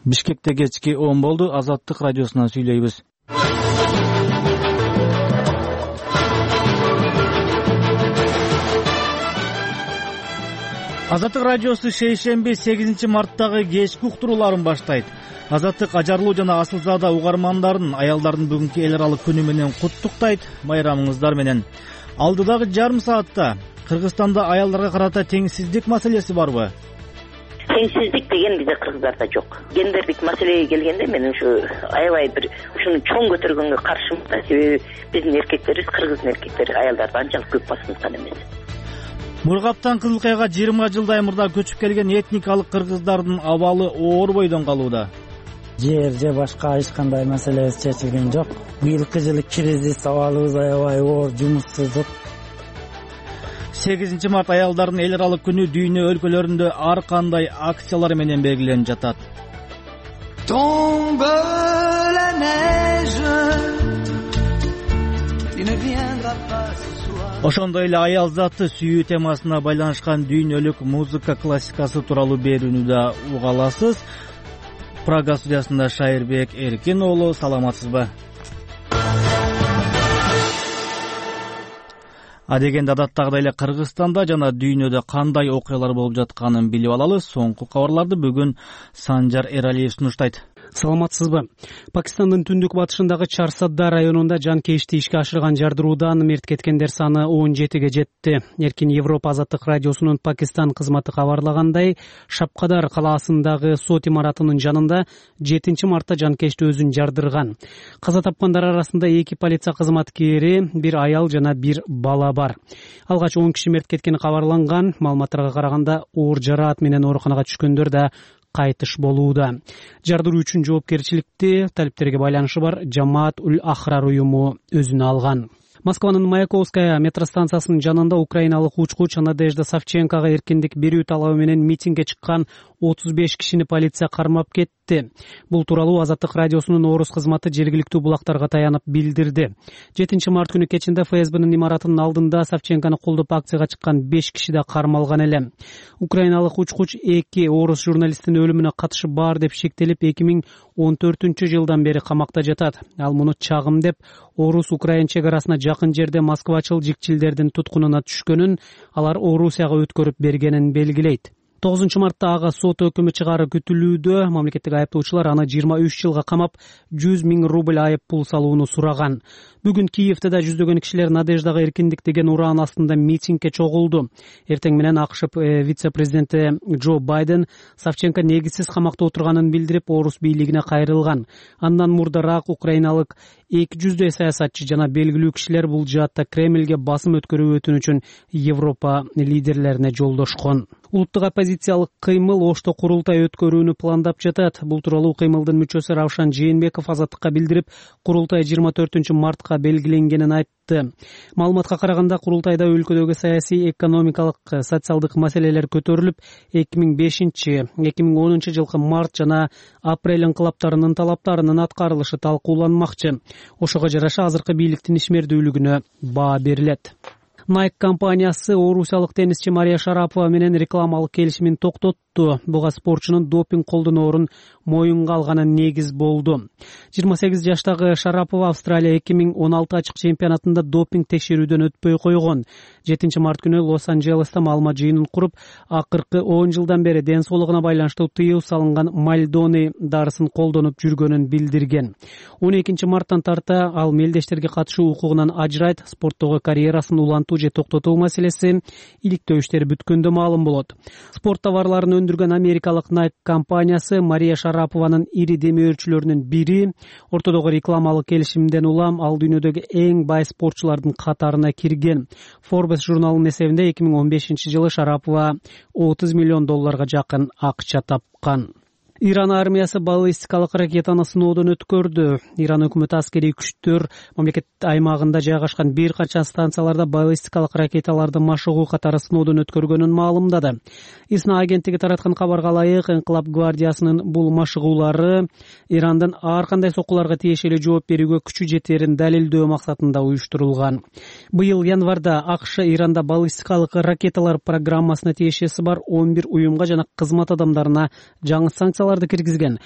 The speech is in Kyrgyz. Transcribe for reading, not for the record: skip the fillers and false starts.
Бишкекте кечки 10 болду. Азаттык радиосунан сүйлөйбүз. Азаттык радиосу шейшемби 8 марттагы кечки уктурууларын баштайт. Азаттык ажарлуу жана асылзада угармандарын аялдардын бүгүнкү эл аралык күнү менен куттуктайт. Байрамыңыздар менен. Алдыдагы жарым саатта Кыргызстанда аялдарга карата теңсиздик маселеси барбы? Теңсиздик деген бизде Кыргыздарда жок. Гендердик маселеге келгенде мен ушу аябай бир ушуну чоң көтөргөнгө каршымын да. Себеби биздин эркектерибиз, Кыргыздын эркектери аялдарды анчалык көп басынткан эмес. Мургаптан Кызыл Каяга 20 жылдай мурда көчүп келген этникалык кыргыздардын абалы оор бойдон калууда. Жер же башка эч кандай маселебиз чечилген жок. Быйылкы жылы кризис, абалыбыз аябай оор, жумуссуздук. 8 март аялдардын эл аралык күнү дүйнө өлкөлөрүндө ар кандай акциялар менен белгиленип жатат. Tombe la neige, il ne viendra pas ce soir. Ошондой эле аял заты сүйүү темасына байланышкан дүйнөлүк музыка классикасы тууралуу берүүнү да уга аласыз. Прага студиясында Шайырбек Эркин уулу, саламатсызбы? Адегенде адаттагыдай эле Кыргызстанда жана дүйнөдө кандай окуялар болуп жатканын билип алалы. Соңку кабарларды бүгүн Санжар Эралиев сунуштайт. Саламатсызбы? Пакистандын түндүк батышындагы Чарсадда районунда жанкечти ишке ашырган жардыруудан мерт кеткендер саны 17ге жетти. Эркин Европа азаттык радиосунун Пакистан кызматы кабарлагандай, Шапкадар калаасындагы сот имаратынын жанында 7 мартта жанкечти өзүн жардырган. Каза тапкандар арасында 2 полиция кызматкери, 1 аял жана 1 бала бар. Алгач 10 киши мерт кеткени кабарланган. Маалыматтарга караганда оор жараат менен ооруканага түшкөндөр да кайтыш болууда. Жардыруу үчүн жоопкерчиликти талиптерге байланышы бар Жамаат Уль Ахрар уюму өзүнө алган. Москванын Маяковская метро станциясынын жанында украиналык учкуч Надежда Савченкага эркиндик берүү талабы менен митингге чыккан 35 кишини полиция кармап кетти. Бул тууралуу Азаттык радиосунун орус кызматы жергиликтүү булактарга таянып билдирди. 7 март күнү кечинде ФСБнын имаратынын алдында Савченканы колдоп акцияга чыккан 5 киши да кармалган эле. Украиналык учкуч 2 орус журналисттин өлүмүнө катышы бар деп шектелип 2014-жылдан бери камакта жатат. Ал муну чагым деп орус-украин чек арасына жакын жерде москвачыл жикчилдердин туткунуна түшкөнүн, алар Орусияга өткөрүп бергенин белгилейт. 9 мартта ага сот өкүмү чыгаруу күтүлүүдө. Мамлекеттик айыптоочулар аны 23 жылга камап, 100 000 рубль айып пул салууну сураган. Бүгүн Киевде да жүздөгөн кишилер Надеждага эркиндик деген ураан астында митингге чогулду. Эртең менен АКШ вице-президенти Джо Байден Савченко негизсиз камакта отурганын билдирип, орус бийлигине кайрылган. Андан мурдараак украиналык 200 саясатчы жана белгилүү кишилер бул жаатта Кремльге басым өткөрүү өтүнүчүн Европа лидерлерине жолдошкон. Улуттук оппозициялык кыймыл Ошто курултай өткөрүүнү пландап жатат. Бул тууралуу кыймылдын мүчөсү Равшан Жээнбеков Азаттыкка билдирип, курултай 24 мартка белгиленгенин айтты. Маалыматка караганда, курултайда өлкөдөгү саясий, экономикалык, социалдык маселелер көтөрүлүп, 2005-2010 жылкы март жана апрель инкылаптарынын талаптарынын аткарылышы талкууланмакчы. Ошого жараша азыркы бийликтин ишмердүүлүгүнө баа берилет. Nike компаниясы орусиялык теннисчи Мария Шарапова менен рекламалык келишимин токтотту. Буга спортчунун допинг колдоноорун моюнга алганы негиз болду. 28 жаштагы Шарапова Австралия 2016 ачык чемпионатында допинг текшерүүдөн өтпөй койгон. 7 март күнү Лос-Анджелеста маалымат жыйынын куруп, акыркы 10 жылдан бери ден соолугуна байланыштуу тыюу салынган Мальдони дарысын колдонуп жүргөнүн билдирген. 12 марттан тарта ал мелдештерге катышуу укугунан ажырайт. Спорттогу карьерасын улантуу же токтотуу маселеси иликтөө иштери бүткөндө маалым болот. Спорт товарларын өндүргөн америкалык Nike компаниясы Мария Шарапованын ири демөөрчүлөрүнүн бири. Ортодогу рекламалык келишимден улам ал дүйнөдөгү эң бай спортчулардын катарына кирген. Forbes журналынын эсебинде 2015 жылы Шарапова $30 миллион жакын акча тапкан. Иран армиясы баллистикалык ракетаны сыноодон өткөрдү. Иран өкмөтү аскерий күчтөр мамлекет аймагында жайгашкан бир канча станцияларда баллистикалык ракеталарды машыгуу катары сыноодон өткөргөнүн маалымдады. ИСНА агенттиги тараткан кабарга ылайык, Инкылап гвардиясынын бул машыгуулары Ирандын ар кандай соккуларга тиешелүү жооп берүүгө күчү жетерин далилдөө максатында уюштурулган. Быйыл январда АКШ Иранда баллистикалык ракеталар программасына тиешеси бар 11 уюмга жана кызмат адамдарына жаңы санкцияларды киргизген.